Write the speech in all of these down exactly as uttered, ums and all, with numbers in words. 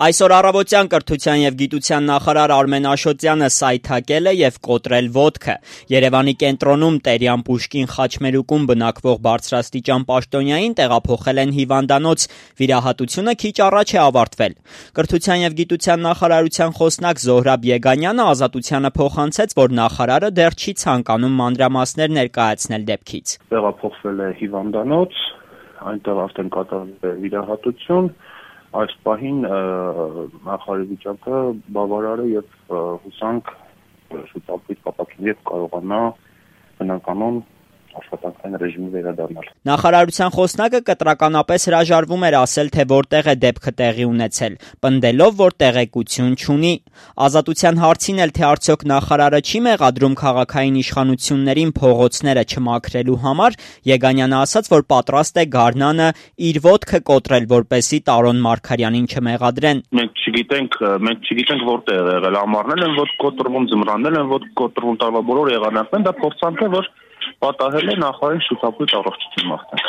Այսօր առավոտյան կրթության և գիտության նախարար Արմեն Աշոտյանը սայթաքել է և կոտրել ոտքը։ Երևանի կենտրոնում Տերյան Պուշկին խաչմերուկում բնակվող բարձրաստիճան պաշտոնյային տեղափոխել են հիվանդանոց, վիրահատությունը քիչ առաջ է ավարտվել։ Կրթության և գիտության նախարարության խոսնակ Զոհրաբ Եգանյանը Ազատությանը փոխանցեց, որ նախարարը դեռ չի ցանկանում մանրամասներ ներկայացնել դեպքից։ Տեղափոխվել է հիվանդանոց, այնտեղ արդեն կատարվել է վիրահատություն։ Այս պահին նախարարի վիճակը բավարար է և հուսանք շուտապույտ կապակցի և կարողանա բնականոն աշխատանքային ռեժիմի վերադառնալ։ Նախարարության խոսնակը կտրականապես հրաժարվում էր ասել, թե որտեղ է դեպքը տեղի ունեցել, պնդելով, որ տեղեկություն չունի։ Ազատության հարցին էլ, թե արդյոք նախարարը չի մեղադրում քաղաքային իշխանություններին փողոցները չմաքրելու համար, Եգանյանը ասաց, որ պատրաստ է գարնանը իր ոտքը կոտրել, որպեսզի Տարոն Մարգարյանին չմեղադրեն։ Մենք չգիտենք, մենք չգիտենք որտեղ է եղել, ամառներ են ոտք կոտրվում, ձմռաններ են ոտք կոտրվում, տարվա բոլոր եղանակներն, դա փորձանք է, որ պատահել է նախարարին շուտապույտ առողջություն մաղթենք։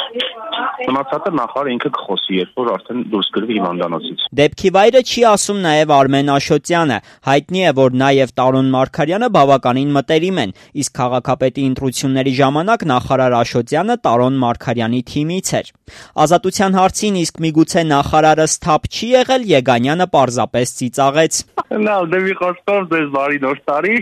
Մնացածը նախարարը ինքը կխոսի, երբ որ արդեն դուրս գրվի հիվանդանոցից։ Դեպքի վայրը չի ասում նաև Արմեն Աշոտյանը։ Հայտնի է, որ նա և Տարոն Մարգարյանը բավականին մտերիմ են, իսկ քաղաքապետի ընտրությունների ժամանակ նախարար Աշոտյանը Տարոն Մարգարյանի թիմից էր։ Ազատության հարցին, իսկ միգուցե նախարարը սթափ չի եղել, Եգանյանը պարզապես ծիծաղեց։ Լավ, դե մի խոսքով ձեզ բարի նոր տարի,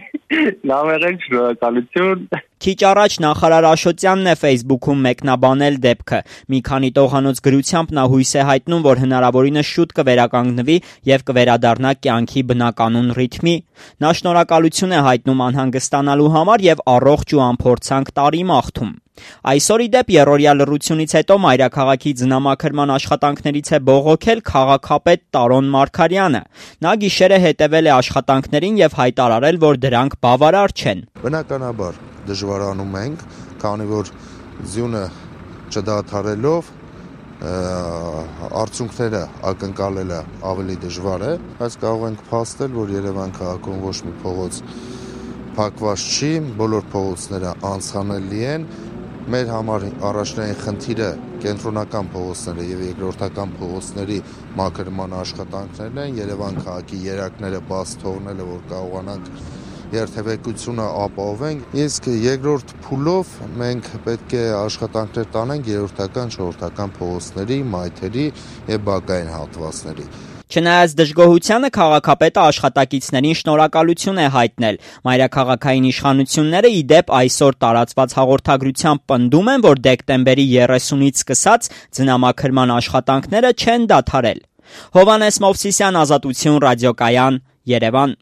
լավ եղեք, շնորհակալություն։ Քիչ առաջ նախարար Աշոտյանն է Facebook-ում մեկնաբանել դեպքը։ Մի քանի տողանոց գրությամբ նա հույս է հայտնում, որ հնարավորինս շուտ կվերականգնվի և կվերադառնա կյանքի բնականոն ռիթմի։ Նա շնորհակալություն է հայտնում անհանգստանալու համար և առողջ ու անփորձանք տարի մաղթում։ Այսօր, ի դեպ, եռօրյա լռությունից հետո մայրաքաղաքի ձնամաքրման աշխատանքներից է բողոքել քաղաքապետ Տարոն Մարգարյանը։ Նա գիշերը հետևել է աշխատանքներին և հայտարարել, որ դրանք բավարար չեն։ Բնականաբար դժվարանում ենք, քանի որ ձյունը չդադարելով արդյունքները ակնկալելը ավելի դժվար է, բայց կարող ենք փաստել, որ Երևան քաղաքում ոչ մի փողոց փակված չի, բոլոր փողոցները անցանելի են։ Մեր համար առաջնային խնդիրը կենտրոնական փողոցները եւ երկրորդական փողոցների մաքրման աշխատանքներն են, Երևան քաղաքի երակները բաց թողնելը, որ կարողանանք երթևեկությունը ապահովենք, իսկ երկրորդ փուլով մենք պետք է աշխատանքներ տանենք երրորդական, չորրորդական փողոցների, մայթերի եւ բակային հատվածների։ Չնայած դժգոհությանը, քաղաքապետը աշխատակիցներին շնորհակալություն է հայտնել։ Մայրաքաղաքային իշխանությունները, ի դեպ, այսօր տարածված հաղորդագրությամբ պնդում են, որ դեկտեմբերի երեսունից սկսած ձնամաքրման աշխատանքները չեն դադարել։ Հովհաննես Մովսիսյան, Ազատություն, Ռադիոկայան, Երևան։